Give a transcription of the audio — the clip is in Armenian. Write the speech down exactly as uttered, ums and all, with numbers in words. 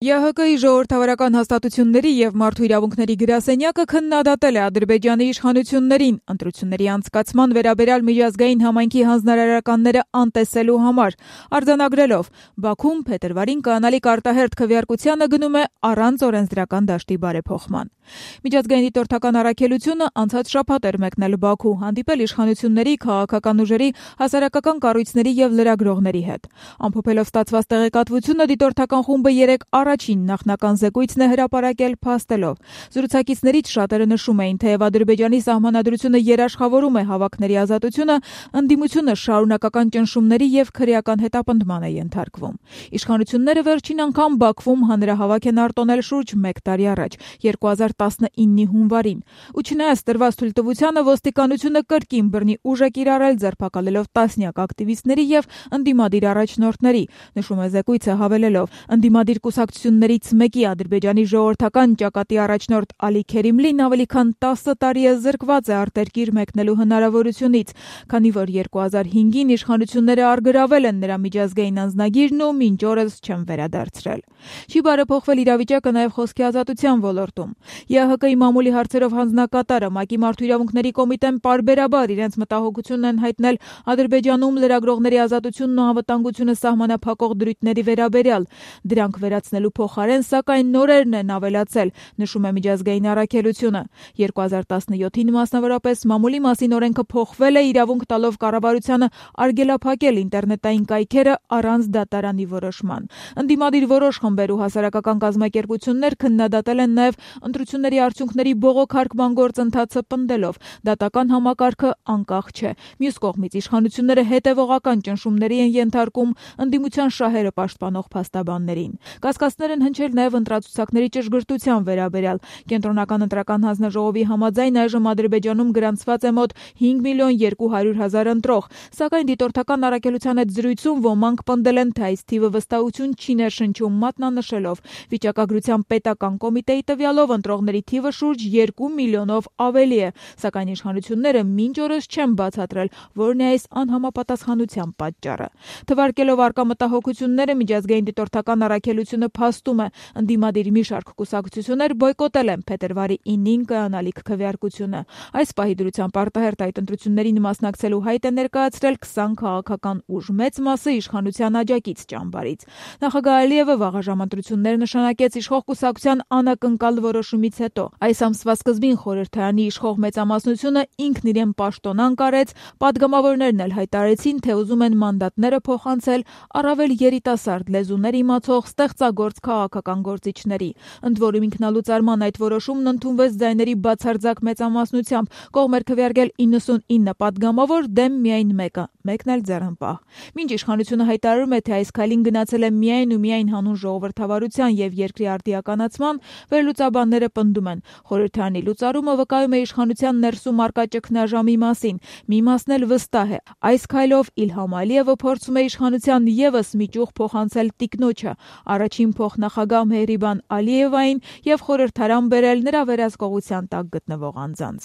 Ե Հ Կ-ի ժողովրդավարական հաստատությունների և մարդու իրավունքների գրասենյակը քննադատել է Ադրբեջանի իշխանություններին ընտրությունների անցկացման վերաբերյալ միջազգային համայնքի հանձնարարականները անտեսելու համար, արձանագրելով Բաքուն փետրվարին կանալիք արտահերթ քվեարկությանը գնում է առանց օրենսդրական դաշտի բարեփոխման։ Միջազգային դիտորդական առաքելությունը անցած շաբաթ էր մեկնել Բաքու, հանդիպել իշխանությունների, քաղաքական ուժերի, հասարակական կառույցների և լրագրողների հետ։ Ամփոփելով ստացված տեղեկատվությունը, դիտորդական խումբը երեկ առաջին նախնական զեկույցն է հրապարակել փաստելով։ Զրուցակիցներից շատերը նշում էին, թեև Ադրբեջանի սահմանադրությունը երաշխավորում է հավաքների ազատությունը, ընդդիմությունը շարունակական ճնշումների և քրեական հետապնդման է ենթարկվում։ Իշխանությունները վերջին անգամ Բաքվում հանրահավաք են արտոնել շուրջ մեկ տարի առաջ, երկու հազար տասնինի հունվարին, ու չնայած տրված թույլտվությանը ոստիկանությունը կրկին բռնի ուժ է կիրառել, ձերբակալելով տասնյակ ակտիվիստների և ընդդիմադիր առաջնորդների, նշում է զեկույցը հավելելով. ընդդիմադիր կուսակցություններից մեկի Ադրբեջանի ժողովրդական ճակատի առաջնորդ Ալի Քերիմլին ավելի քան տասը տարի է զրկված է արտերկիր մեկնելու հնարավորությունից, քանի որ երկու հազար հինգին իշխանությունները առգրավել են նրա միջազգային անձնագիրն ու մինչ օրս չեն վերադարձրել։ Չի բարեփոխվել իրավիճակը նաև խոսքի ազատության ոլորտում։ Ե Հ Կ-ի մամուլի հարցերով հանձնակատարը ՄԱԿ-ի Մարդու իրավունքների կոմիտեն պարբերաբար իրենց մտահոգությունն են հայտնել Ադրբեջանում լրագրողների ազատությունն ու անվտանգությունը սահմանափակող դրույթների վերաբերյալ։ Դրանք վերացնելու փոխարեն, սակայն, նորերն են ավելացել, նշում է միջազգային առաքելությունը։ երկու հազար տասնյոթին մասնավորապես մամուլի մասին օրենքը փոխվել է, իրավունք տալով կառավարությանը արգելափակել ինտերնետային կայքերը առանց դատարանի որոշման։ Ընդդիմադիր որոշ խմբեր ու հասարակական կազմակերպություններ քննադատել են նաև ընտրությունների արդյունքների բողոքարկման գործընթացը, պնդելով դատական համակարգը անկախ չէ։ Մյուս կողմից իշխանությունները հետևողական ճնշումների են ենթարկում ընդդիմության շահերը պաշտպանող փաստաբաններին։ Կասկածներ են հնչել նաև ընտրացուցակների ճշգրտության վերաբերյալ։ Կենտրոնական ընտրական հանձնաժողովի համաձայն այժմ Ադրբեջանում գրանցված է մոտ հինգ միլիոն երկու հարյուր հազար ընտրող, սակայն դիտորդական առաքելության հետ զրույցում ոմանք պնդել են, թե այս թիվը վստահություն չի ներշնչում, մատնանշելով վիճակագրության պետական կոմիտեի տվյալով ընտրողների թիվը շուրջ երկու միլիոնով ավելի է, սակայն իշխանությունները մինչ օրս չեն բացատրել, որն է այս անհամապատասխանության պատճառը։ Թվարկելով առկա մտահոգությունները, միջազգային դիտորդական առաքելությունը փաստում է, ընդդիմադիր մի շարք կուսակցություններ բոյկոտել են փետրվարի ինին կայանալիք քվեարկությունը։ Այս պահի դրությամբ արտահերթ այդ ընտրություններին մասնակցելու հայտ է ներկայացրել քսան քաղաքական ուժ, մեծ մասը իշխանության աջակից ճամբարից։ Նախագահ Ալիևը վաղաժամ ընտրություններ նշանակեց իշխող կուսակցության անակնկալ որոշումից հետո։ Այս ամսվա սկզբին խորհրդարանի իշխող մեծամասնությունը ինքն իրեն պաշտոնանկ արեց, պատգամավորներն էլ հայտարարեցին, թե ուզում են մանդատները փոխանցել առավել երիտասարդ լեզուներ իմացող ստեղծագործ քաղաքական գործիչների։ Ընդ որում ինքնալուծարման այդ որոշումն ընդունվեց ձայների բացարձակ մեծամասնությամբ, կողմ էր քվեարկել իննսունինը պատգամավոր, դեմ միայն մեկը, մեկն էլ ձեռնպահ։ Մինչ իշխանությունը հայտարարում է, թե այս քայլին գնացել է միայն ու միայն հանուն ժողովրդավարության և երկրի արդիականացման, վերլուծաբանները պնդում են, խորհրդարանի լուծարումը վկայում է իշխանության ներսում առկա ճգնաժամի մասին։ Մի մասն էլ վստահ է. այս քայլով Իլհամ Ալիևը փորձում է իշխանության ևս մի ճյուղ փոխանցել տիկնոջը, առաջին փոխնախագահ Մեհրիբան Ալիևային և խորհրդարան բերել նրա վերահսկողության տակ գտնվող անձանց։